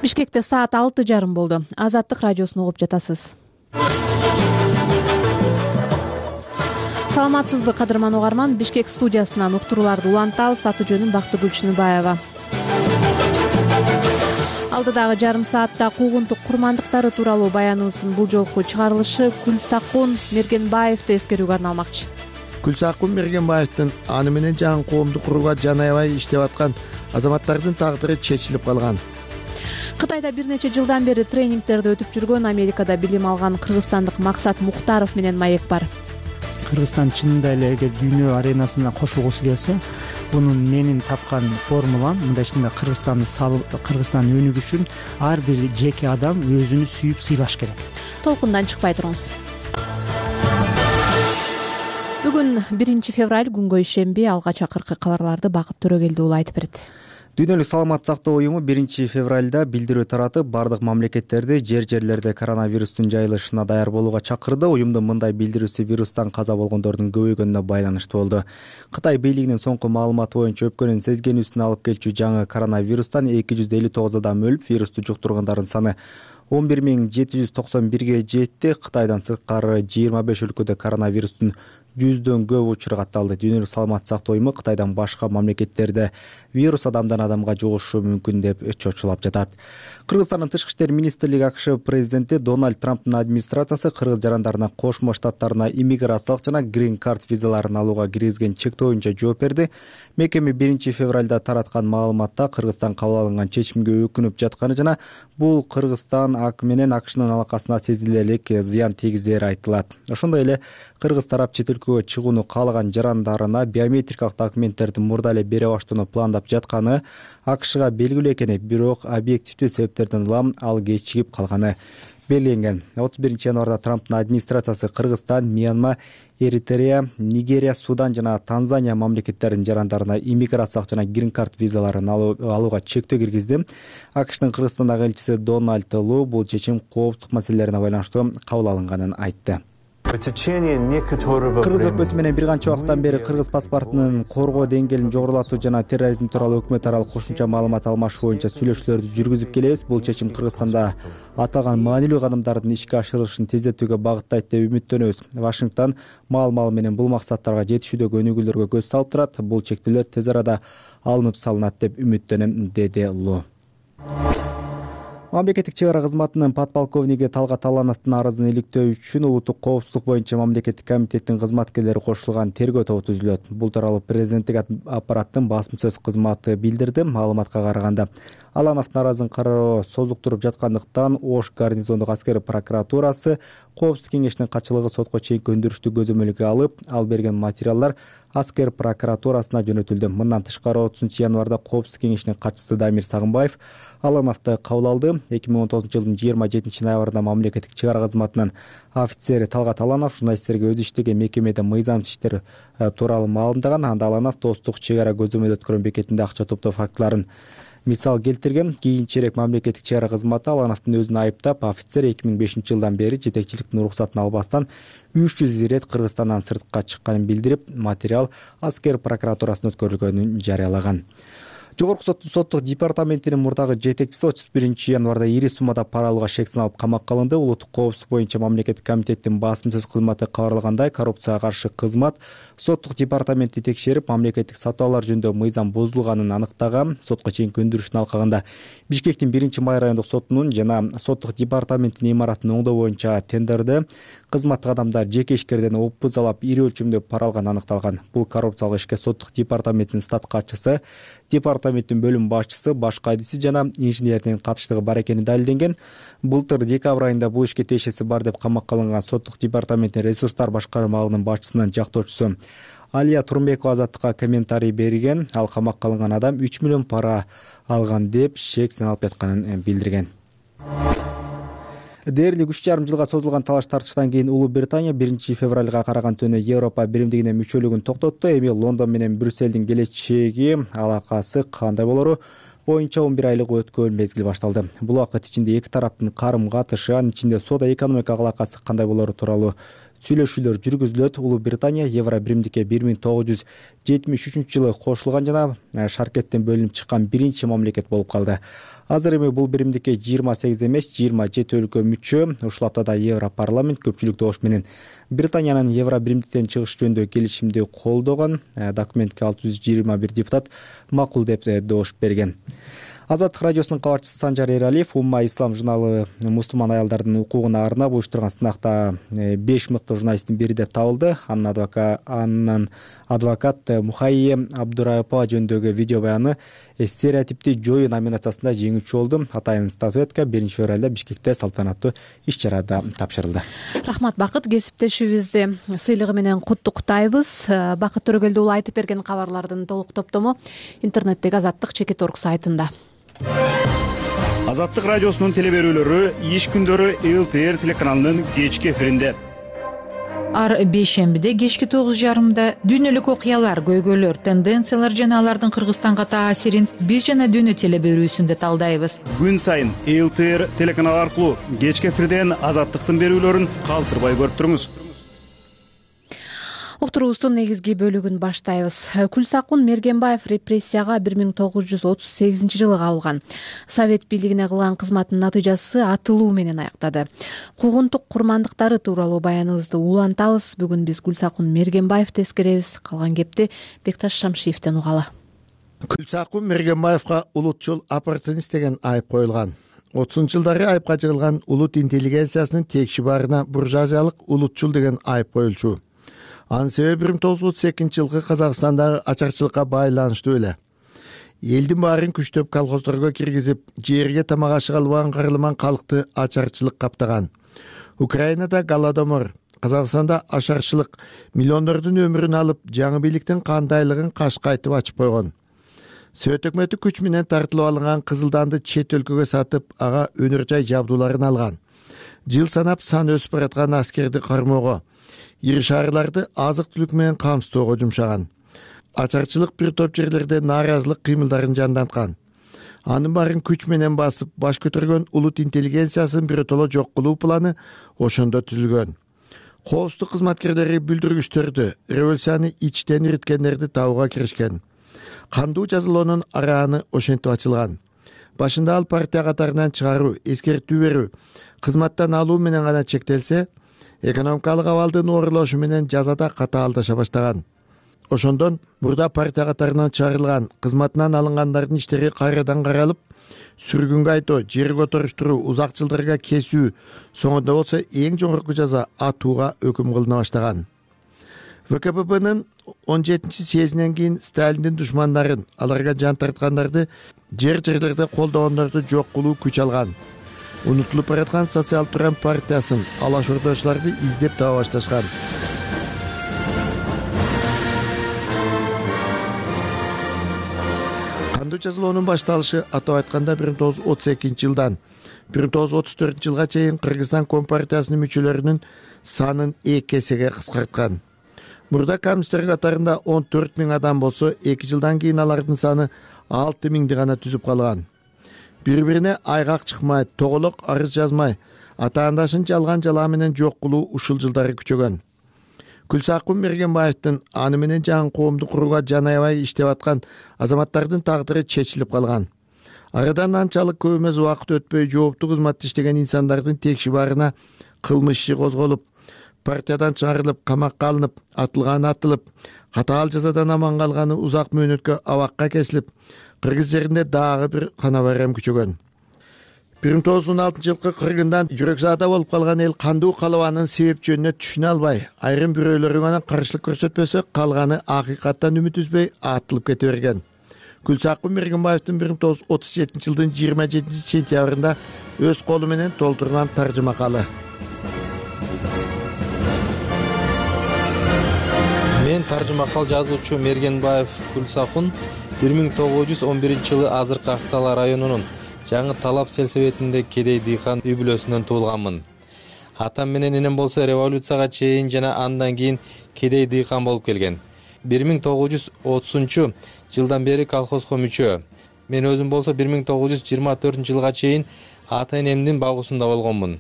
Бишкекте саат 6:30 болду. Азаттык радиосун угуп жатасыз. Саламатсызбы, кадырман угарман? Бишкек студиясынан уктурууларды улантабыз. Аты жөнүм Бактыгүл Чыныбаева. Алдыдагы жарым саатта куугунтук курмандыктары тууралуу баяныбыздын бул жолку чыгарылышы Күлсакун Мергенбаевди эскерүүгө арналмакчы. Күлсакун Мергенбаевдин аны менен жаңы коомду курууга жан аябай иштеп аткан азаматтардын тагдыры чечилип калган. Кытайда бир нече жылдан бери тренингтерди өтүп жүргөн, Америкада билим алган кыргызстандык Максат Мухтаров менен маек бар. Кыргызстан чынында эле эгер дүйнө аренасына кошулгусу келсе, бунун менин тапкан формулам мындайча Кыргызстан өнүгүшү үчүн ар бир жеке адам өзүнү сүйүп сыйлаш керек. Толкундан чыкпай туруңуз. Бүгүн 1 февраль, күнгө ишемби. Алгач акыркы кабарларды Бакыт Төрөгелди уулу айтып берет. Дүйнөлүк саламаттык сактоо уюму 1 февралда билдирүү таратып, бардык мамлекеттерди жерлерде коронавирустун жайылышына даяр болууга чакырды. Уюмдун мындай билдирүүсү вирустан каза болгондордун көбөйгөнүнө байланыштуу болду. Кытай бийлигинин соңку маалыматы боюнча өпкөнүн сезгенүүсүн алып келчү жаңы коронавирустан 259 адам өлүп, вирусту жуктургандардын саны 11791ге жетти. Кытайдан сырткары 25 өлкөдө коронавирустун 100дөн көп учуру катталды. Дүйнөлүк саламаттык сактоо уюму Кытайдан башка мамлекеттерде вирус адамдан адамга жугушу мүмкүн деп чочулап жатат. Кыргызстандын тышкы иштер министрлиги АКШ президенти Дональд Трамптын администрациясы кыргыз жарандарына Кошмо Штаттарына иммиграциялык жана грин карт визаларын алууга киргизген чектөө боюнча жооп берди. Мекеме 1 февралда тараткан маалыматта Кыргызстан кабыл алынган чечимге өкүнүп жатканы жана бул Кыргызстан менен АКШнын алакасына сезилерлик зыян тийгизери айтылат. Ошондой эле кыргыз тарап чет өлкөгө чыгууну каалаган жарандарына биометрикалык документтерди мурда эле бере баштоону пландап жатканы АКШга белгилүү экени, бирок объективдүү себептерден улам ал кечигип калганы белгиленген. 31 январда Трамптын администрациясы Кыргызстан, Мьянма, Эритрея, Нигерия, Судан жана Танзания мамлекеттеринин жарандарына иммиграциялык жана грин карт визаларын алууга чектөө киргизди. АКШнын Кыргызстандагы элчиси Дональд Лу бул чечим коопсуздук маселелерине байланыштуу кабыл алынганын айтты. Кыргыз өкмөтү менен бир канча убакыттан бери кыргыз паспортунун коргоо деңгээлин жогорулатуу жана терроризм тууралуу өкмөт аралык кошумча маалымат алмашуу боюнча сүйлөшүүлөрдү жүргүзүп келебиз. Бул чечим Кыргызстанда аталган маанилүү кадамдардын ишке ашырылышын тездетүүгө багыттайт деп үмүттөнөбүз. Вашингтон маал менен бул максаттарга жетишүүдөгү өнүгүүлөргө көз салып турат. Бул чектөөлөр тез арада алынып салынат деп үмүттөнөм, деди Лу. Мамлекеттик чек ара кызматынын подполковниги Талгат Алановдун арызын иликтөө үчүн улуттук коопсуздук боюнча мамлекеттик комитеттин кызматкерлери кошулган тергөө тобу түзүлөт. Бул тууралуу президенттик аппараттын басма сөз кызматы билдирди. Маалыматка караганда, Алановдун арызын кароо созуктуруп жаткандыктан Ош гарнизондук аскер прокуратурасы Коопсуздук кеңешинин катчылыгы сотко чейинки өндүрүштү көзөмөлгө алып, ал берген материалдар аскер прокуратурасына жөнөтүлдү. Мындан тышкары 30 январда Коопсуздук кеңешинин катчысы Дамир Сагынбаев Алановду кабыл алды. 2019 жылдын 27 ноябрында мамлекеттик чек ара кызматынын офицери Талгат Аланов журналисттерге өзү иштеген мекемеде мыйзамсыз иштер тууралуу маалымдаган. Анда Аланов достук чек ара көзөмөл өткөргөн бекетинде акча топтоо фактыларын мисал келтирген. Кийинчерээк мамлекеттик чек ара кызматы Алановдун өзүн айыптап, офицер 2005 жылдан бери жетекчиликтин уруксатын албастан 300 ирет Кыргызстандан сыртка чыкканын билдирип, материал аскер прокуратурасына өткөрүлгөнүн жарыялаган. Жогорку соттун соттук департаментинин мурдагы жетекчиси 31 январда ири суммада пара алууга шек саналып камакка алынды. Улуттук коопсуздук боюнча мамлекеттик комитеттин басма сөз кызматы кабарлагандай, коррупцияга каршы кызмат соттук департаментти текшерип, мамлекеттик сатуулар жөнүндө мыйзам бузулганын аныктаган. Сотко чейинки өндүрүштүн алкагында Бишкектин 1-май райондук сотунун жана соттук департаменттин имаратын оңдоо боюнча тендерде кызматтык адамдар жеке ишкерден опузалап ири өлчөмдө пара алганы аныкталган. Бул коррупциялык ишке соттук департаменттин штат катчысы, департаменттин бөлүм башчысы, башка адиси жана инженердин катыштыгы бар экени далилденген. Былтыр декабрь айында бул ишке тиешеси бар деп камакка алынган соттук департаменттин ресурстар башкармалыгынын башчысынын жактоочусу Алия Турмбекова Азаттыкка комментарий берген. Ал камакка алынган адам 3 миллион пара алган деп шек саналып жатканын билдирген. Дээрлик 3,5 жылга созулган талаш тартыштан кийин Улуу Британия 1 февралга караган түнү Европа биримдигине мүчөлүгүн токтотту. Эми Лондон менен Брюсселдин келечеги алакасы кандай болору боюнча 11 айлык өткөн мезгил башталды. Бул убакыт ичинде эки тараптын карым-катышы, анын ичинде соода экономика алакасы кандай болору тууралуу сүйлөшүүлөр жүргүзүлөт. Улуу Британия Евро биримдикке 1973-жылы кошулган жана шаркеттен бөлүнүп чыккан биринчи мамлекет болуп калды. Азыр эми бул биримдикке 28 эмес 27 өлкө мүчө. Ушул аптада Европарламент көпчүлүктүү ош менен Британиянын Евро биримдиктен чыгыш жөнүндө келишимди колдогон. Документке 621 депутат макул деп добуш берген. Азаттык радиосунун кабарчысы Санжар Эралиев Умма ислам журналы мусулман аялдардын укугуна арнап уюштурган сынакта 5 мыкты журналисттин бири деп табылды. Анын адвокат Мухайе Абдурайпова жөнүндөгү видео баяны стереотипти жою номинациясында жеңүүчү болду. Атайын статуэтка 1-февралда Бишкекте салтанаттуу иш-чарада тапшырылды. Рахмат Бакыт, кесиптешибизди сыйлыгы менен куттуктайбыз. Бакыт Төрөгелди уулу айтып берген кабарлардын толук топтому интернеттеги Азаттык.org сайтында. Азаттык радиосунун телеберүүлөрү иш күндөрү ЛТР телеканалынын кечки эфиринде. Ар бейшембиде кечки 9:30 дүйнөлүк окуялар, көйгөйлөр, тенденциялар жана алардын Кыргызстанга таасирин биз жана дүйнө телеберүүсүндө талдайбыз. Күн сайын ЛТР телеканалы аркылуу кечки эфирден Азаттыктын берүүлөрүн калтырбай көрүп туруңуз. Уктуруубуздун негизги бөлүгүн баштайбыз. Күлсакун Мергенбаев репрессияга 1938-жылы кабылган. Совет бийлигине кылган кызматтын натыйжасы атылуу менен аяктады. Куугунтук курмандыктары тууралуу баяныбызды улантабыз. Бүгүн биз Күлсакун Мергенбаевди эскеребиз. Калган кепти Бекташ Шамшиевден угалы. Күлсакун Мергенбаевга улутчул оппортунист деген айып коюлган. 30-жылдары айыпка жыгылган улут интеллигенциясынын текши барына буржуазиялык улутчул деген айып коюлчу. Анын себеби 1932-жылкы Казакстандагы ачарчылыкка байланыштуу эле. Элдин баарын күчтөп колхоздорго киргизип, жерге тамак ашыга албаган кырылман калкты ачарчылык каптаган. Украинада голодомор, Казакстанда ашарчылык миллиондордун өмүрүн алып, жаңы бийликтин кандайлыгын кашкайтып ачып койгон. Совет өкмөтү күч менен тартылып алынган Кызылданды чет өлкөгө сатып, ага өнөр жай жабдууларын алган. Жыл санап сан өсүп бараткан аскерди кармоого, ири шаарларды азык-түлүк менен камсыздоого жумшаган. Ачарчылык бир топ жерлерде нааразылык кыймылдарын жанданткан. Анын баарын күч менен басып, баш көтөргөн улут интеллигенциясын биротоло жок кылуу планы ошондо түзүлгөн. Коопсуздук кызматкерлери бүлдүргүчтөрдү, революцияны ичтен ириткендерди табууга киришкен. Кандуу жазалоонун арааны ошентип ачылган. Башында ал партия катарынан чыгаруу, эскертүү берүү, кызматтан алуу менен гана чектелсе, экономикалык абалдын оорлошу менен жазада катаалдаша баштаган. Ошондон мурда партия катарынан чыгарылган, кызматынан алынгандардын иштери кайрадан каралып, сүргүнгө айтуу, жер которуштуруу, узак жылдарга кесүү, соңунда болсо эң жогорку жаза атууга өкүм кылына баштаган. ВКПБнын 17-съезинен кийин Сталиндин душмандарын, аларга жан тарткандарды, жерлерде колдогондорду жок кылуу күч алган. Унутулуп бараткан социал туран партиясын, алаш ордочуларды издеп таба башташкан. Кандуу жазалоонун башталышы атап айтканда 1932-жылдан 1934-жылга чейин Кыргызстан Компартиясынын мүчөлөрүнүн санын 2 эсеге кыскарткан. Мурда коммунисттер катарында 14 000 адам болсо, 2 жылдан кийин алардын саны 6 000 гана түзүп калган. Бири-бирине айгак чыкмай, тоголок арыз жазмай, атаандашын жалган жалаа менен жок кылуу ушул жылдары күчөгөн. Күлсакун Мергенбаевдин аны менен жаңы коомду курууга жан аябай иштеп аткан азаматтардын тагдыры чечилип калган. Арадан анчалык көп эмес убакыт өтпөй жооптуу кызматта иштеген инсандардын текши барына кылмыш иши козголуп, партиядан чыгарылып, камакка алынып, атылганы атылып, катаал жазадан аман калганы узак мөөнөткө абакка кесилип, Кыргыз жеринде дагы бир кана байрам күчөгөн. 1916-жылкы кыргындан жүрөк-заада болуп калган эл кандуу калыбанын себеп жөнүнө түшүнө албай, айрым бирөөлөрү гана каршылык көрсөтпөсө, калганы акыйкаттан үмүт үзбөй атылып кете берген. Күлсакун Мергенбаевдин 1937-жылдын 27-сентябрында өз колу менен толтурган таржымакалы. Мен таржымакал жазуучу Мергенбаев Күлсакун 1911-жылы азыркы Актала районунун Жаңы Талап селсебетинде кедей дыйкан үй бүлөсүнөн туулганмын. Атам менен энем болсо революцияга чейин жана андан кийин кедей дыйкан болуп келген. 1930-жылдан бери колхозго мүчө. Мен өзүм болсо 1924-жылга чейин ата-энемдин багуусунда болгонмун.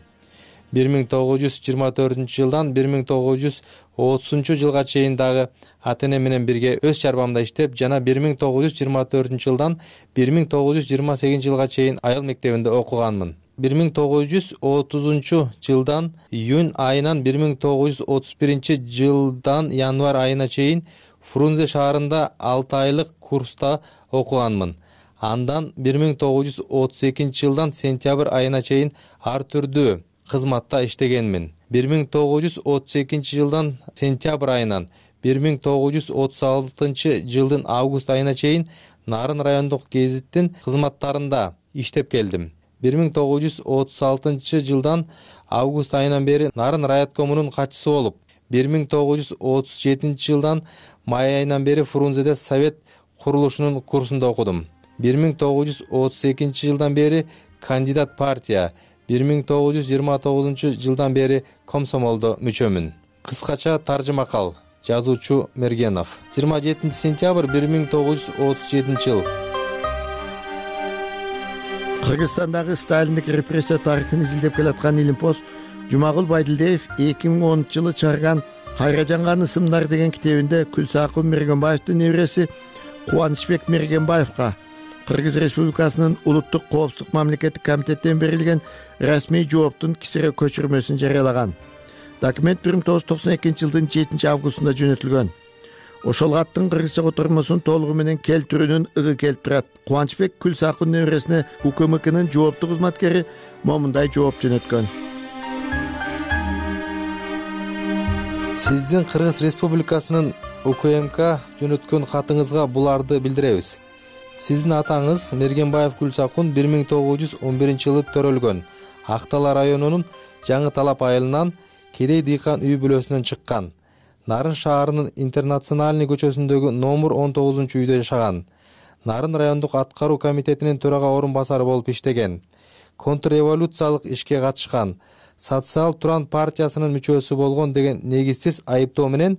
1924-жылдан 1930-жылга чейин дагы ата-эне менен бирге өз чарбамда иштеп, жана 1924-жылдан 1928-жылга чейин айыл мектебинде окуганмын. 1930-жылдан июнь айынан 1931-жылдан январь айына чейин Фрунзе шаарында 6 айлык курста окуганмын. Андан 1932-жылдан сентябрь айына чейин ар түрдүү кызматта иштегенмин. 1932-жылдан сентябрь айынан 1936-жылдын август айына чейин Нарын райондук гезиттин кызматтарында иштеп келдим. 1936-жылдан август айынан бери Нарын райоткомунун катчысы болуп, 1937-жылдан май айынан бери Фрунзеде совет курулушунун курсунда окудум. 1932-жылдан бери кандидат партия, 1929-жылдан бери комсомолдо мүчөмүн. Кыскача таржыма кал. Жазуучу Мергенов. 27 сентябрь 1937 жыл. Кыргызстандагы сталиндик репрессия тарыхын изилдеп келаткан Илимпоз Жумагул Байдилдиев 2010-жылы чыгарган Кайра жанган ысымдар деген китебинде Күлсакун Мергенбаевдин небереси Кубанычбек Мергенбаевга Кыргыз Республикасынын улуттук коопсуздук мамлекеттик комитеттен берилген расмий жооптун кисире көчүрмөсүн жарыялаган. Документ 1992-жылдын 7-августунда жөнөтүлгөн. Ошол каттын кыргызча котормосун толугу менен келтирүүнүн ыгы келип турат. Кубанычбек Күлсакун небересине УКМКнын жооптуу кызматкери момундай жооп жөнөткөн. Сиздин Кыргыз Республикасынын УКМК жөнөткөн катыңызга буларды билдиребиз. Сиздин атаңыз Мергенбаев Күлсакун 1911-жылы төрөлгөн. Актала районунун Жаңы Талап айылынан кедей дыйкан үй бүлөсүнөн чыккан. Нарын шаарынын Интернациональный көчөсүндөгү номер 19-үйдө жашаган. Нарын райондук аткаруу комитетинин төрага орун басары болуп иштеген. Контрреволюциялык ишке катышкан. Социал Туран партиясынын мүчөсү болгон деген негизсиз айыптоо менен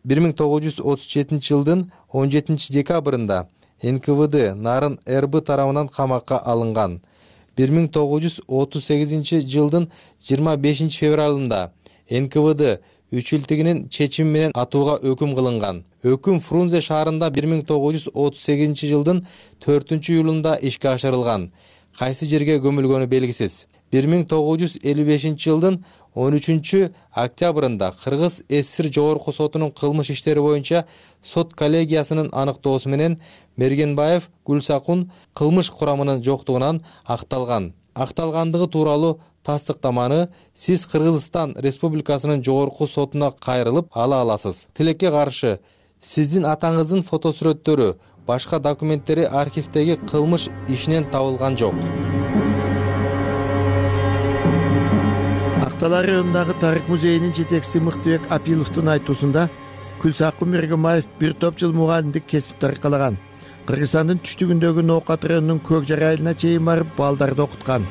1937-жылдын 17-декабрында НКВД Нарын РБ тарабынан камакка алынган. 1938-жылдын 25 февралында НКВД үчүлтигинин чечими менен атууга өкүм кылынган. Өкүм Фрунзе шаарында 1938-жылдын 4-июлунда ишке ашырылган. Кайсы жерге көмүлгөнү белгисиз. 1955-жылдын 13-октябрында Кыргыз ССР Жогорку сотунун кылмыш иштери боюнча сот коллегиясынын аныктоосу менен Мергенбаев Күлсакун кылмыш курамынын жоктугунан акталган. Акталгандыгы тууралуу тастыктаманы сиз Кыргызстан Республикасынын Жогорку сотуна кайрылып ала аласыз. Тилекке каршы, сиздин атаңыздын фотосүрөттөрү, башка документтери архивдеги кылмыш ишинен табылган жок. Актала районундагы тарых музейинин жетекчиси Мыктыбек Апиловдун айтуусунда Күлсакун Мергенбаев бир топ жыл мугалимдик кесипти аркалаган. Кыргызстандын түштүгүндөгү Ноокат районунун Көкжар айылына чейин барып балдарды окуткан.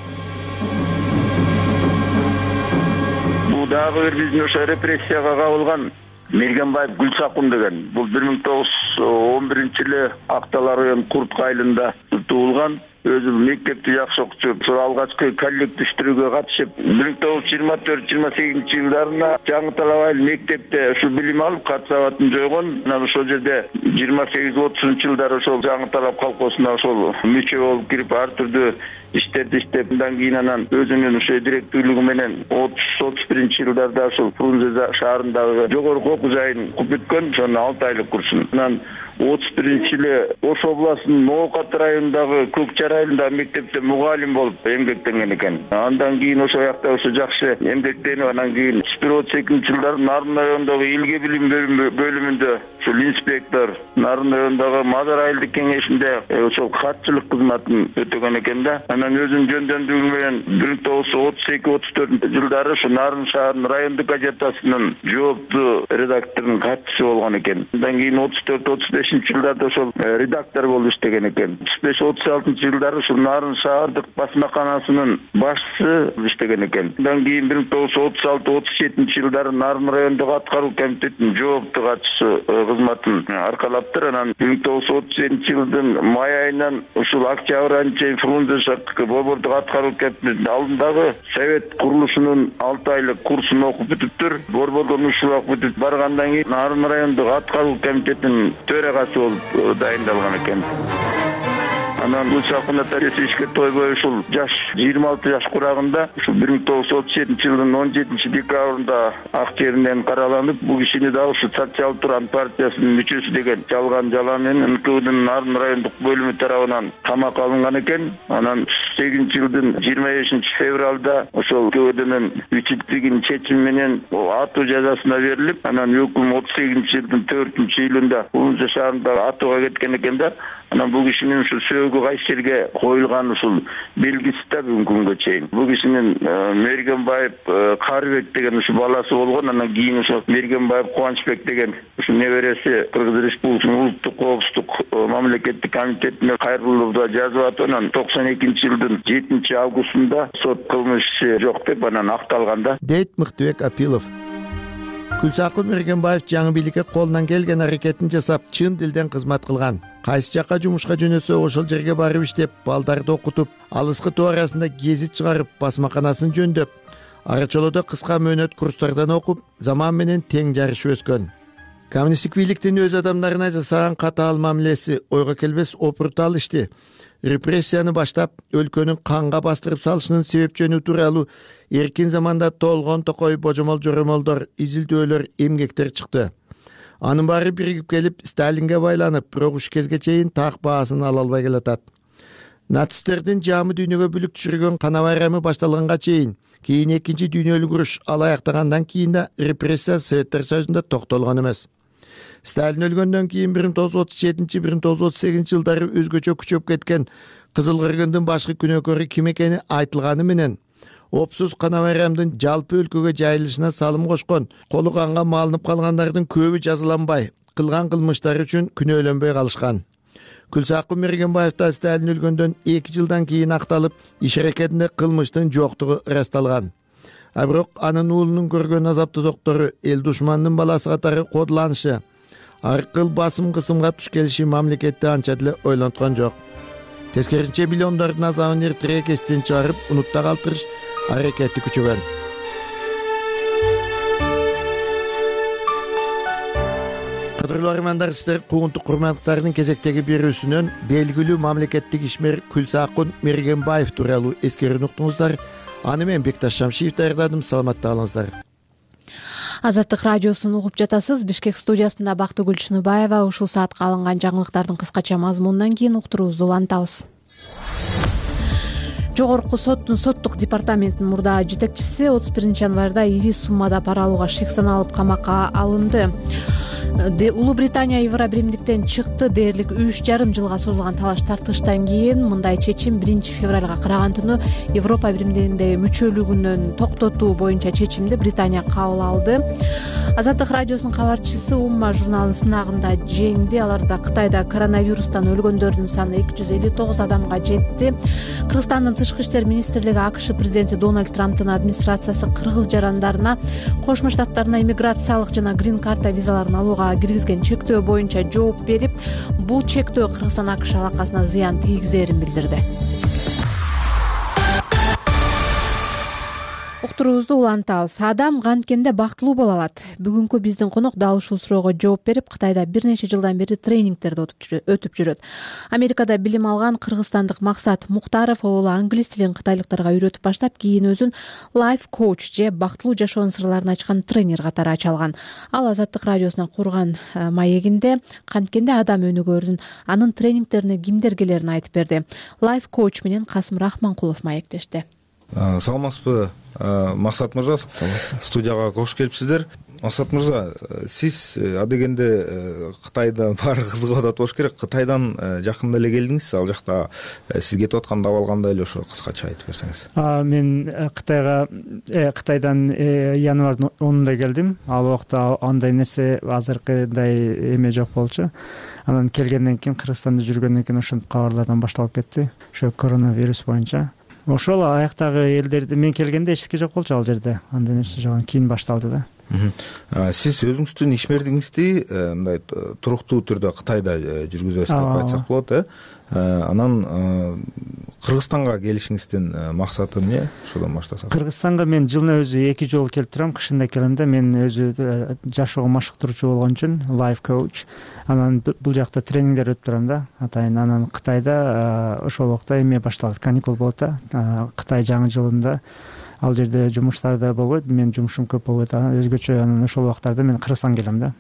Бул дагы бир биздин ошо репрессияга кабылган Мергенбаев Күлсакун деген. Бул 1911-жылы Актала район Курт айылында туулган. Өзү мектепти жакшы окучу, ошол алгачкы коллективдештирүүгө катышып, 1924-28 жылдарында Жаңы Талап айыл мектепте ушу билим алып, кат сабатын жойгон. Анан ошол жерде 28-30 жылдары ошол Жаңы Талап колхозуна ошол мүчө болуп кирип, ар түрдүү иштерди иштеп, андан кийин анан өзүнүн ошо директорлугу менен 30-31 жылдарда ошол Фрунзе шаарындагы жогорку окуу жайын окуп бүткөн, ошонун 6 айлык курсун. Анан 31-жылы Ош областынын Ноокат районундагы Көкжар айылындагы мектепте мугалим болуп эмгектенген экен. Андан кийин ошол жакта ошо жакшы эмгектенип, анан кийин 31-32 жылдары Нарын районундагы элге билим бөлүмүндө ошол инспектор, Нарын районундагы Мазар айылдык кеңешинде ошол катчылык кызматын өтөгөн экен да. Анан өзүнүн жөндөмдүгү менен 1932-34 жылдары ошо Нарын шаарынын райондук газетасынын жооптуу редакторунун катчысы болгон экен. Андан кийин 34-35 жылдарда ошол редактор болуп иштеген экен. 35-36 жылда жылдары ушул Нарын шаардык басмаканасынын башчысы иштеген экен. Андан кийин 1936-37 жылдары Нарын райондук аткаруу комитетинин жооптуу катчысы кызматын аркалаптыр. Анан 1937 жылдын май айынан ушул октябрь айына чейин Фрунзе шаардык борбордук аткаруу комитетинин алдындагы совет курулушунун 6 айлык курсун окуп бүтүптүр. Борбордон ушул окуп бүтүп баргандан кийин Нарын райондук аткаруу комитетинин төрагасы болуп дайындалган экен. Анан Гүлсакун ишке тойбой ушул жаш 26 жаш курагында ушул 1937 жылдын 17 декабрында ак жеринен караланып, бул кишини дагы ушул Социал Туран партиясынын мүчөсү деген жалган жала менен НКВдын Нарын райондук бөлүмү тарабынан камакка алынган экен. Анан 8 жылдын 25 февралда ошол НКВдын үчүлдүгүнүн чечими менен атуу жазасына берилип, анан өкүм 38 жылдын 4-июлунда Фрунзе шаарында атууга кеткен экен да. Анан бул кишинин ушул сөөгү кайсы жерге коюлган ушул белгиси да бүгүнкү күнгө чейин. Бул кишинин Мергенбаев Карыбек деген ушул баласы болгон. Анан кийин ушул Мергенбаев Кубанычбек деген ушул небереси Кыргыз Республикасынын улуттук коопсуздук мамлекеттик комитетине кайрылууда жазып атып, анан 92 жылдын 7 августунда сот кылмыш иши жок деп анан акталган да. Дейт Мыктыбек Апилов. Гүлсакун Мергенбаев жаңы бийликке колунан келген аракетин жасап, чын дилден кызмат кылган. Кайсы жакка жумушка жөнөсө ошол жерге барып иштеп, балдарды окутуп, алыскы тоо арасында гезит чыгарып, басмаканасын жөндөп, арачолодо кыска мөөнөт курстардан окуп, заман менен тең жарышып өскөн. Коммунисттик бийликтин өз адамдарына жасаган катаал мамилеси ойго келбес опуртал ишти, репрессияны баштап, өлкөнүн канга бастырып салышынын себеп жөнү тууралуу эркин заманда толгон токой божомол жоромолдор, изилдөөлөр, эмгектер чыкты. Анын баары биригип келип, Сталинге байланып, бирок уш кезге чейин так баасын ала албай келатат. Нацисттердин жамы дүйнөгө бүлүк түшүргөн кана байрамы башталганга чейин, кийин экинчи дүйнөлүк уруш алаяктагандан кийин да репрессия Советтер Союзунда токтолгон эмес. Сталин өлгөндөн кийин 1937-1938 жылдары өзгөчө күчөп кеткен Кызыл кыргындын башкы күнөөкөрү ким экени айтылганы менен, опсуз кана байрамдын жалпы өлкөгө жайылышына салым кошкон, колу канга малынып калгандардын көбү жазаланбай, кылган кылмыштары үчүн күнөөлөнбөй калышкан. Гүлсакун Мергенбаев да Сталин өлгөндөн 2 жылдан кийин акталып, иш аракетинде кылмыштын жоктугу ырасталган. А бирок анын уулунун көргөн азап тозоктору, эл душманынын баласы катары кодуланышы, ар кыл басым кысымга туш келиши мамлекетти анча деле ойлонткон жок. Тескерисинче миллиондордун азабын эртерээк эстен чыгарып, унутта калтырыш аракети күчөгөн. Кадырлуу армандар, сиздер куугунтук курмандыктардын кезектеги берүүсүнөн белгилүү мамлекеттик ишмер Гүлсакун Мергенбаев тууралуу эскерүүнү уктуңуздар. Аны мен Бекташ Шамшиев даярдадым. Саламатта калыңыздар. Азаттык радиосун угуп жатасыз. Бишкек студиясында Бактыгүл Чыныбаева. Ушул саатка алынган жаңылыктардын кыскача мазмунунан кийин уктуруубузду улантабыз. Жогорку соттун соттук департаментинин мурдагы жетекчиси 31 январда ири суммада пара алууга шек саналып камакка алынды. Улуу Британия Евробиримдиктен чыкты. Дээрлик 3,5 жылга созулган талаш тартыштан кийин мындай чечим 1 февралга караган түнү Европа Биримдигиндеги мүчөлүгүнөн токтотуу боюнча чечимди Британия кабыл алды. Азаттык радиосунун кабарчысы Умма журналынын сынагында жеңди. Аларда Кытайда коронавирустан өлгөндөрдүн саны 259 адамга жетти. Кыргызстандын Тышкы иштер министрлиги АКШ президенти Дональд Трамптын администрациясы кыргыз жарандарына Кошмо Штаттарына иммиграциялык жана грин карта визаларын алууга киргизген чектөө боюнча жооп берип, бул чектөө Кыргызстан АКШ алакасына зыян тийгизерин билдирди. Уктуруубузду улантабыз. Адам канткенде бактылуу боло алат. Бүгүнкү биздин конок дал ушул суроого жооп берип, Кытайда бир нече жылдан бери тренингтерди өтүп жүрөт. Америкада билим алган кыргызстандык Максат Муктаров уулу англис тилин кытайлыктарга үйрөтүп баштап, кийин өзүн лайф коуч же бактылуу жашоонун сырларын ачкан тренер катары ача алган. Ал Азаттык радиосуна курган маегинде канткенде адам өнүгөрүн, анын тренингтерине кимдер келерин айтып берди. Лайф коуч менен Касым Рахманкулов маектешти. Саламатсызбы, Максат мырза? Студияга кош келипсиздер. Максат мырза, сиз адегенде Кытайда баары кызыгып атат болуш керек. Кытайдан жакында эле келдиңиз. Ал жакта сиз кетип аткан абал кандай эле, ошо кыскача айтып берсеңиз. Мен Кытайдан январдын 10-унда келдим. Ал убакта андай нерсе азыркыдай эме жок болчу. Анан келгенден кийин Кыргызстанда жүргөндөн кийин ошентип кабарлардан башталып кетти. Ошо коронавирус боюнча. Ошол аяктагы элдерде мен келгенде эч нерсе жок болчу ал жерде. Андай нерсе жок, кийин башталды да. Сиз өзүңүздүн ишмердигиңизди мындай туруктуу түрдө Кытайда жүргүзөсүз деп айтсак болот, Анан Кыргызстанга келишиңиздин максаты эмне? Ошодон баштасак. Кыргызстанга мен жылына өзү 2 жолу келип турам. Кышында келем да, мен өзү жашоого машыктыруучу болгон үчүн life coach. Анан бул жакта тренингдер өтүп турам да. Атайын анан Кытайда ошол убакта эме башталат, каникул болот да. Кытай жаңы жылында ал жерде жумуштар да болбойт, мен жумушум көп болбойт, өзгөчө. Анан ошол убактарда мен Кыргызстанга келем да.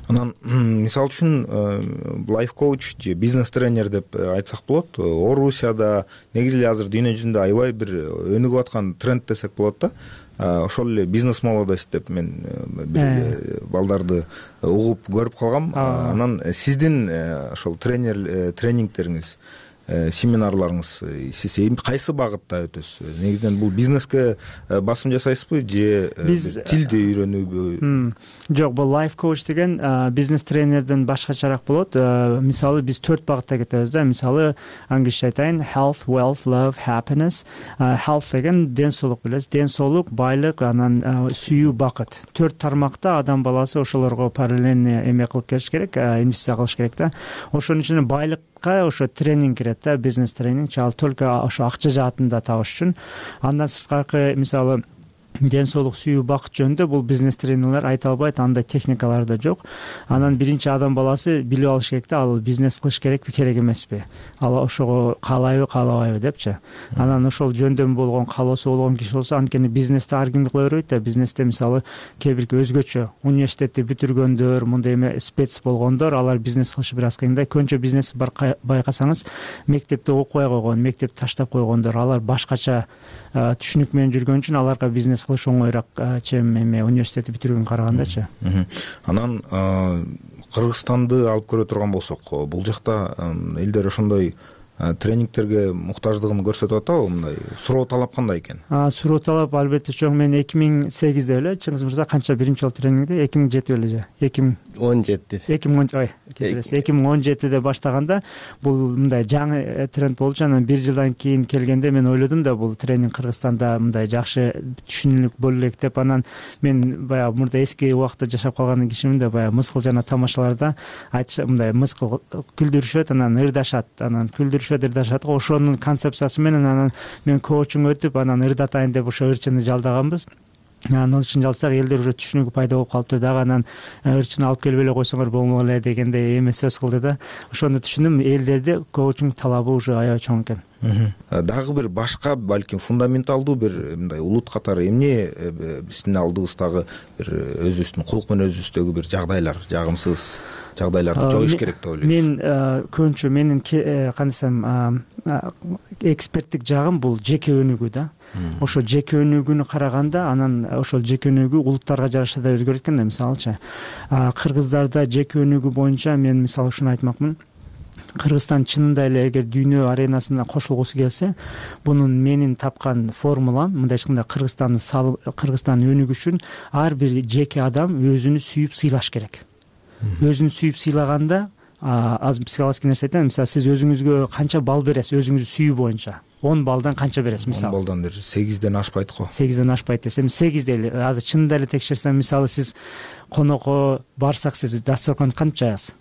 Анан мисалы үчүн лайф коуч же бизнес тренер деп айтсак болот. Орусияда негизи эле азыр дүйнө жүзүндө аябай бир өнүгүп аткан тренд десек болот да. Ошол эле бизнес молодость деп мен бир балдарды угуп көрүп калгам. Анан сиздин ошол тренингтериңиз, семинарларыңыз сиз кайсы багытта өтөсүз? Негизинен бул бизнеске басым жасайсызбы же тилди үйрөнүүбү? Жок, бул life coach деген бизнес тренерден башкачараак болот. Мисалы биз 4 багытта кетебиз да. Мисалы англисче айтайын: health, wealth, love, happiness. Health деген ден соолук билесиз, ден соолук, байлык, анан сүйүү, бакыт. 4 тармакта адам баласы ошолорго параллельно эме кылып келиш керек, инвестиция кылыш керек да. Ошонун ичине байлыкка ошо тренинг кирет да, бизнес тренинг. Ал только ошо акча жаатында табыш үчүн. Андан сырткары мисалы ден соолук, сүйүү, бакыт жөнүндө бул бизнес тренерлер айта албайт, андай техникалар да жок. Анан биринчи адам баласы билип алыш керек да, ал бизнес кылыш керекпи, керек эмеспи, ал ошого каалайбы, каалабайбы депчи. Анан ошол жөндөмү болгон, каалоосу болгон киши болсо, анткени бизнесте ар ким кыла бербейт да. Бизнесте мисалы кээ бирки өзгөчө университетти бүтүргөндөр, мындай эме спец болгондор, алар бизнес кылышы бир аз кыйын да. Көбүнчө бизнес байкасаңыз мектепте окубай койгон, мектепти таштап койгондор, алар башкача түшүнүк менен жүргөн үчүн аларга бизнес кылыш оңоюраак, чем эме университетти бүтүргөнгө карагандачы. Анан Кыргызстанды алып көрө турган болсок, бул жакта элдер ошондой тренингтерге муктаждыгын көрсөтүп атабы? Мындай суроо талап кандай экен? Суроо талап албетте чоң. Мен 2008-де эле, Чыңгыз мырза канча биринчи жолу тренингди? 2007 эле же? 2017-де баштаганда бул мындай жаңы тренд болчу. Анан 1 жылдан кийин келгенде мен ойлодум да, бул тренинг Кыргызстанда мындай жакшы түшүнүлүк боло элек деп. Анан мен баягы мурда эски убакта жашап калган кишимин да, баягы мыскыл жана тамашаларда айтыш, мындай мыскыл күлдүрүшөт, анан ырдашат, анан ырдашат. Ошонун концепциясы менен анан мен коучуң өтүп, анан ырдатайын деп ошо ырчыны жалдаганбыз. Анан ырчын жалсак элдер уже түшүнүгү пайда болуп калыптыр дагы. Анан ырчыны алып келип эле койсоңор болмок эле дегендей эме сөз кылды да. Ошондо түшүндүм, элдерде коучуң талабы уже аябай чоң экен. Дагы бир башка, балким фундаменталдуу бир мындай улут катары эмне биздин алдыбыздагы бир өзүбүздүн кулк менен өзүбүздөгү бир жагдайлар, жагымсыз жагдайларды жоюш керек деп ойлойсуз? Мен көбүнчө менин кандай десем, эксперттик жагым бул жеке өнүгүү да. Ошо жеке өнүгүүнү караганда, анан ошол жеке өнүгүү улуттарга жараша да өзгөрөт экен да. Мисалычы кыргыздарда жеке өнүгүү боюнча мен мисалы ушуну айтмакмын. Кыргызстан чынында эле эгер дүйнө аренасына кошулгусу келсе, бунун менин тапкан формулам мындай айтканда, Кыргызстан өнүгүш үчүн ар бир жеке адам өзүнү сүйүп сыйлаш керек. Өзүнү сүйүп сыйлаганда, аз психологический нерсе айтайын, мисалы сиз өзүңүзгө канча балл бересиз өзүңүздү сүйүү боюнча? 10 балдан канча бересиз? Мисалы 10 балдан 8ден ашпайт го. 8ден ашпайт десем, 8 эле азыр чынында эле текшерсем, мисалы сиз конокко барсак, сиз дасторкон кантип жаясыз?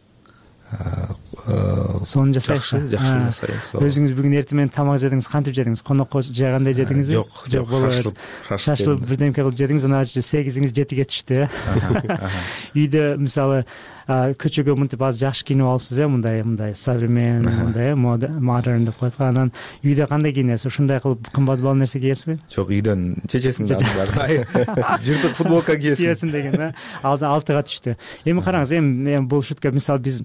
Сонун жасайсыз. Жакшы жасайсыз. Өзүңүз бүгүн эртең менен тамак жедиңиз, кантип жедиңиз? Конокко жайгандай жедиңизби? Жок, шашылып бирдемке кылып жедиңиз, анан 8иңиз 7ге түштү. Үйдө мисалы көчөгө мынтип аз жакшы кийинип алыпсыз, мындай современный, мындай модерн деп коет. Анан үйдө кандай кийинесиз? Ушундай кылып кымбат баал нерсе кийесизби? Жок, үйдөн чечесиң жыртык футболка кийесиң деген, алтыга түштү. Эми караңыз, эми бул шутка, мисалы биз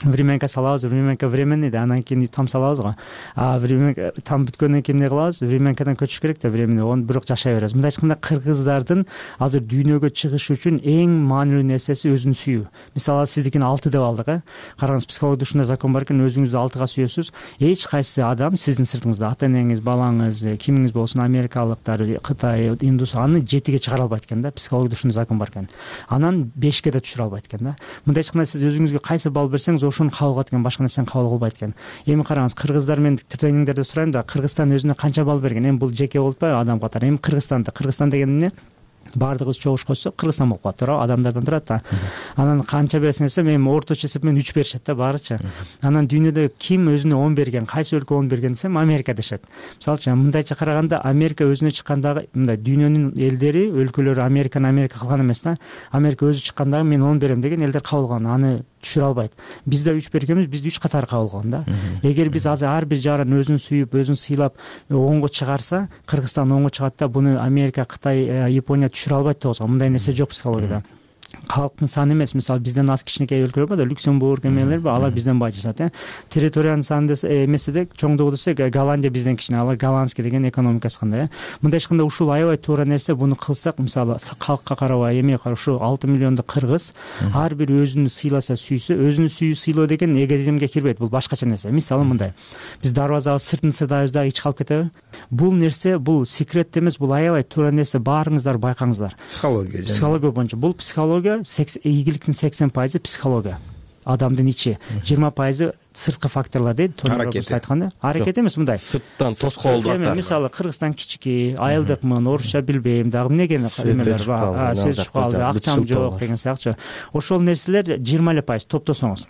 времянка салабыз, времянка временный да, анан кийин там салабыз го. Времянка там бүткөндөн кийин эмне кылабыз? Времянкадан көчүш керек да, временный. Оны бирок жашай беребиз. Мындай айтканда кыргыздардын азыр дүйнөгө чыгышы үчүн эң маанилүү нерсеси өзүн сүйүү. Мисалы сиздикин 6 деп алдык, Караңыз, психологияда ушундай закон бар экен, өзүңүздү 6га сүйөсүз. Эч кайсы адам сиздин сыртыңызда, ата-энеңиз, балаңыз, кимиңиз болсун, америкалыктар, Кытай, индус, аны 7ге чыгара албайт экен да. Психологияда ушундай закон бар экен. Анан 5ке да түшүрө албайт экен да. Мындай айтканда сиз өзүңүзгө кайсы балл берсеңиз, ошону кабыл кылат экен, башка нерсени кабыл кылбайт экен. Эми караңыз, кыргыздар мен тренингдерде сурайм да, Кыргызстан өзүнө канча балл берген? Эми бул жеке болуп атпайбы адам катары? Эми Кыргызстан деген эмне? Баардыгыбыз чогуш койсок Кыргызстан болуп калат, туура, адамдардан турат да. Анан канча бересиң десем, эми орточо эсеп менен 3 беришет да баарычы. Анан дүйнөдө ким өзүнө 10 берген, кайсы өлкө 10 берген десем, Америка дешет. Мисалчы, мындайча караганда, Америка өзүнө чыккандагы, мындай дүйнөнүн элдери, өлкөлөрү Америка кылган эмес да. Америка өзү чыккандагы мен 10 берем деген элдер кабыл кылган, аны түшүрө албайт. Биз да 3 бергенбиз, бизди 3 катары кабыл кылган да. Эгер биз азыр ар бир жарын өзүн сүйүп, өзүн сыйлап 10го чыгарса, Кыргызстан 10го чыгат да, буну Америка, Кытай, Япония түшүрө албайт да. Мындай нерсе жок психологияда. Калктын саны эмес, мисалы бизден аз кичинекей өлкөлөр бар да, Люксембург эмелер бар, алар бизден бай жашат, Территориянын саны эмеседе чоңдугу десек, Голландия бизден кичине, алар голландский деген экономикасы кандай, Мындай айтканда ушул аябай туура нерсе. Буну кылсак, мисалы калкка карабай, эмеге карап, ушу 6 миллиондук кыргыз ар бир өзүнү сыйласа, сүйсө, өзүнү сүйүү, сыйлоо деген эгоизмге кирбейт, бул башкача нерсе. Мисалы мындай, биз дарбазабыз сыртын сыдайбыз дагы ич калып кетеби? Бул нерсе, бул секрет эмес, бул аябай туура нерсе, баарыңыздар байкаңыздар. Психология боюнча. Бул психология, ийгиликтин 80% психология. Адамдын ичи, 20% сырткы факторлор дейт. Аракет айтканда, аракет эмес, мындай. Сырттан тоскоолдуктар. Мисалы Кыргызстан кичики, айылдыкмын, орусча билбейм, дагы эмнеге эмелер бар, сөз калды, акчам жок деген сыяктуу. Ошол нерселер 20% топтосоңуз.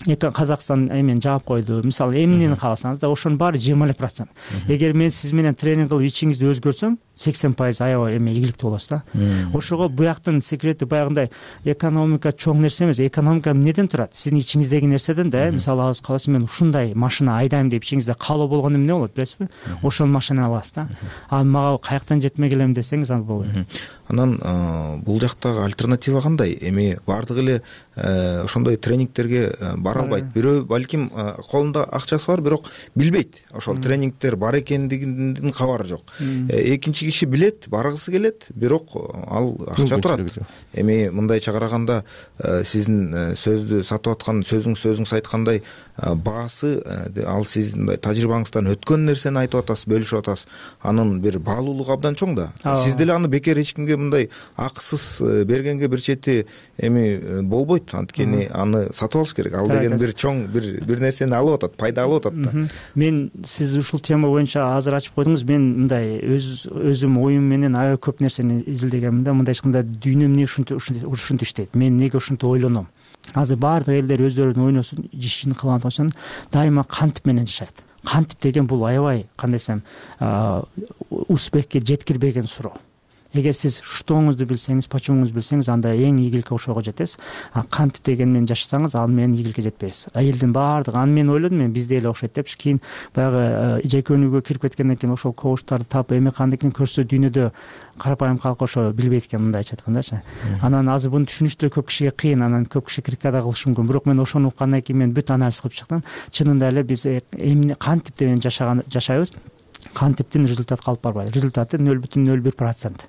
Казакстан эмен жаап койду. Мисалы эмнени кааласаңыз да, ошонун баары 20%. Эгер мен сиз менен тренинг кылып ичиңизди өзгөртсөм, 80% аябай ийгиликтүү болосуз да. Ошого буяктын секрети баягындай экономика чоң нерсе эмес. Экономика эмнеден турат? Сиздин ичиңиздеги нерседен да. Мисалы алып каласыз, мен ушундай машина айдайм деп ичиңизде каалоо болгону эмне болот, билесизби? Ошол машинаны аласыз да. Мага каяктан жетмек элем десеңиз, ал болбойт. Анан бул жактагы альтернатива кандай? Эми баардыгы эле ошондой тренингтерге бара албайт. Бирөө балким колунда акчасы бар, бирок билбейт. Ошол тренингтер бар экендигинин кабары жок. Экинчи киши билет, баргысы келет, бирок ал акча турат. Эми мындайча караганда, сиздин сөздү сатып аткан, сөзүңүз айткандай баасы, ал сиздин мындай тажрыйбаңыздан өткөн нерсени айтып атасыз, бөлүшүп атасыз. Анын бир баалуулугу абдан чоң да. Сиз деле аны бекер эч кимге мындай акысыз бергенге бир чети эми болбойт. Анткени аны сатып алыш керек. Ал деген бир чоң бир нерсени алып атат, пайда алып атат да. Мен сиз ушул тема боюнча азыр ачып койдуңуз. Мен мындай өзүм оюм менен аябай көп нерсени изилдегенмин да. Мындай айтканда, дүйнө эмне ушинтип иштейт? Мен неге ушинтип ойлоном? Азыр баардык элдер өздөрүнүн ойносун, ишин кылган болсун, дайыма кантип менен жашайт. Кантип деген бул аябай, кандай десем, успехке жеткирбеген суроо. Эгер сиз штоңузду билсеңиз, почемуңузду билсеңиз, анда эң ийгиликке ошого жетесиз. Кантип деген менен жашасаңыз, ал менен ийгиликке жетпейсиз. Элдин баардыгы, аны мен ойлодум, мен бизде эле окшойт депчи. Кийин баягы жекөнүүгө кирип кеткенден кийин ошол коучтарды таап, эми кандай экен көрсө, дүйнөдө карапайым калк ошо билбейт экен, мындайча айткандачы. Анан азыр буну түшүнүш деле көп кишиге кыйын, анан көп киши критика да кылышы мүмкүн. Бирок мен ошону уккандан кийин мен бүт анализ кылып чыктым. Чынында эле биз эмне кантип менен жашайбыз, кантиптин результат калып барбайт. Результаты 0,01%.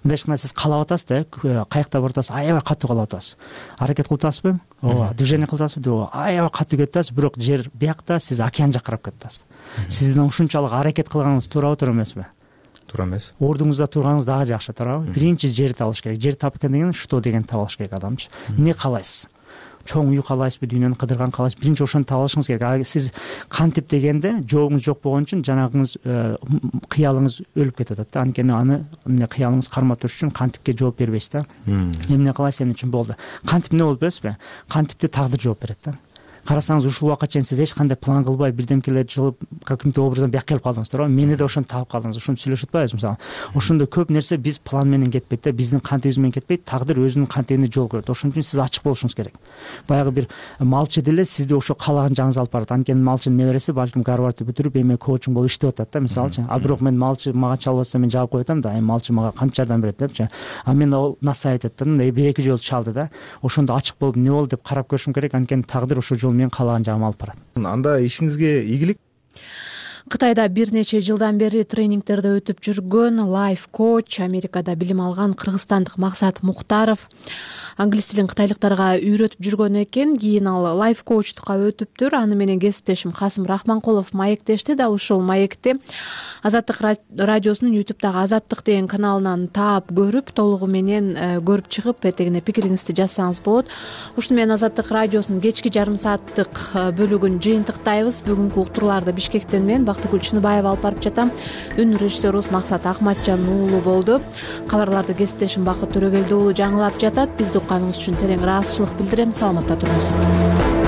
Мындай айтканда, сиз каалап атасыз да, каякта барып атасыз, аябай катуу каалап атасыз. Аракет кылып атасызбы? Ооба. Движение кылып атасызбы? Ооба. Аябай катуу кетип атасыз, бирок жер биякта, сиз океан жакка карап кетип атасыз. Сиздин ушунчалык аракет кылганыңыз туура эмеспи? Туура эмес. Ордуңузда турганыңыз дагы жакшы, туурабы? Биринчи жерди табыш керек. Жер тапкан деген что деген таба алыш керек адамчы. Эмне каалайсыз? Чоң үй каалайсызбы, дүйнөнү кыдырган каалайсызбы? Биринчи ошону таба алышыңыз керек. Сиз кантип дегенде жообуңуз жок болгон үчүн жанагыңыз кыялыңыз өлүп кетип атат да. Анткени аны кыялыңыз кармап туруш үчүн кантипке жооп бербейсиз да. Эмне кыласыз, эмне үчүн болду? Кантип эмне болду билесизби? Кантипте тагдыр жооп берет да. Карасаңыз, ушул убакка чейин сиз эч кандай план кылбай, бирдемкелерди жылып, каким-то образдан бияка келип калдыңыз, туурабы? Мени да ошону таап калдыңыз. Ошону сүйлөшүп атпайбызбы, мисалы? Ошондо көп нерсе биз план менен кетпейт да, биздин кантибиз менен кетпейт, тагдыр өзүнүн кантибине жол көрөт. Ошон үчүн сиз ачык болушуңуз керек. Баягы бир малчы деле сизди ошо каалаган жагыңызга алып барат. Анткени малчынын небереси балким Гарвардты бүтүрүп, эми коучинг болуп иштеп атат да, мисалычы. Бирок мен малчы мага чалбаса, мен жаап коюп атам да, малчы мага канча жардам берет депчи. Мен ал насаайт эттим, бир-эки жолу чалды да. Ошондо ачык болуп, эмне болду деп карап көрүшүм керек. Анткени тагдыр ошол жолу менен каалаган жагыма алып барат. Анда ишиңизге ийгилик. Кытайда бир нече жылдан бери тренингтерде өтүп жүргөн лайф коуч, Америкада билим алган кыргызстандык Максат Муктаров англис тилин кытайлыктарга үйрөтүп жүргөн экен. Кийин ал лайф коучтукка өтүптүр. Аны менен кесиптешим Касым Рахманкулов маектешти. Дал ушул маекти Азаттык радиосунун YouTube'дагы Азаттык деген каналынан таап көрүп, толугу менен көрүп чыгып, этегине пикириңизди жазсаңыз болот. Ушуну менен Азаттык радиосунун кечки жарым сааттык бөлүгүн жыйынтыктайбыз. Бүгүнкү уктурууларды Бишкектен мен Бактыгүл Чыныбаева алып барып жатам. Үн режиссерубуз Максат Акматжан уулу болду. Кабарларды кесиптешим Бакыт Төрөгелди уулу жаңылап жатат. Бизди укканыңыз үчүн терең ыраазычылык билдирем. Саламатта туруңуз.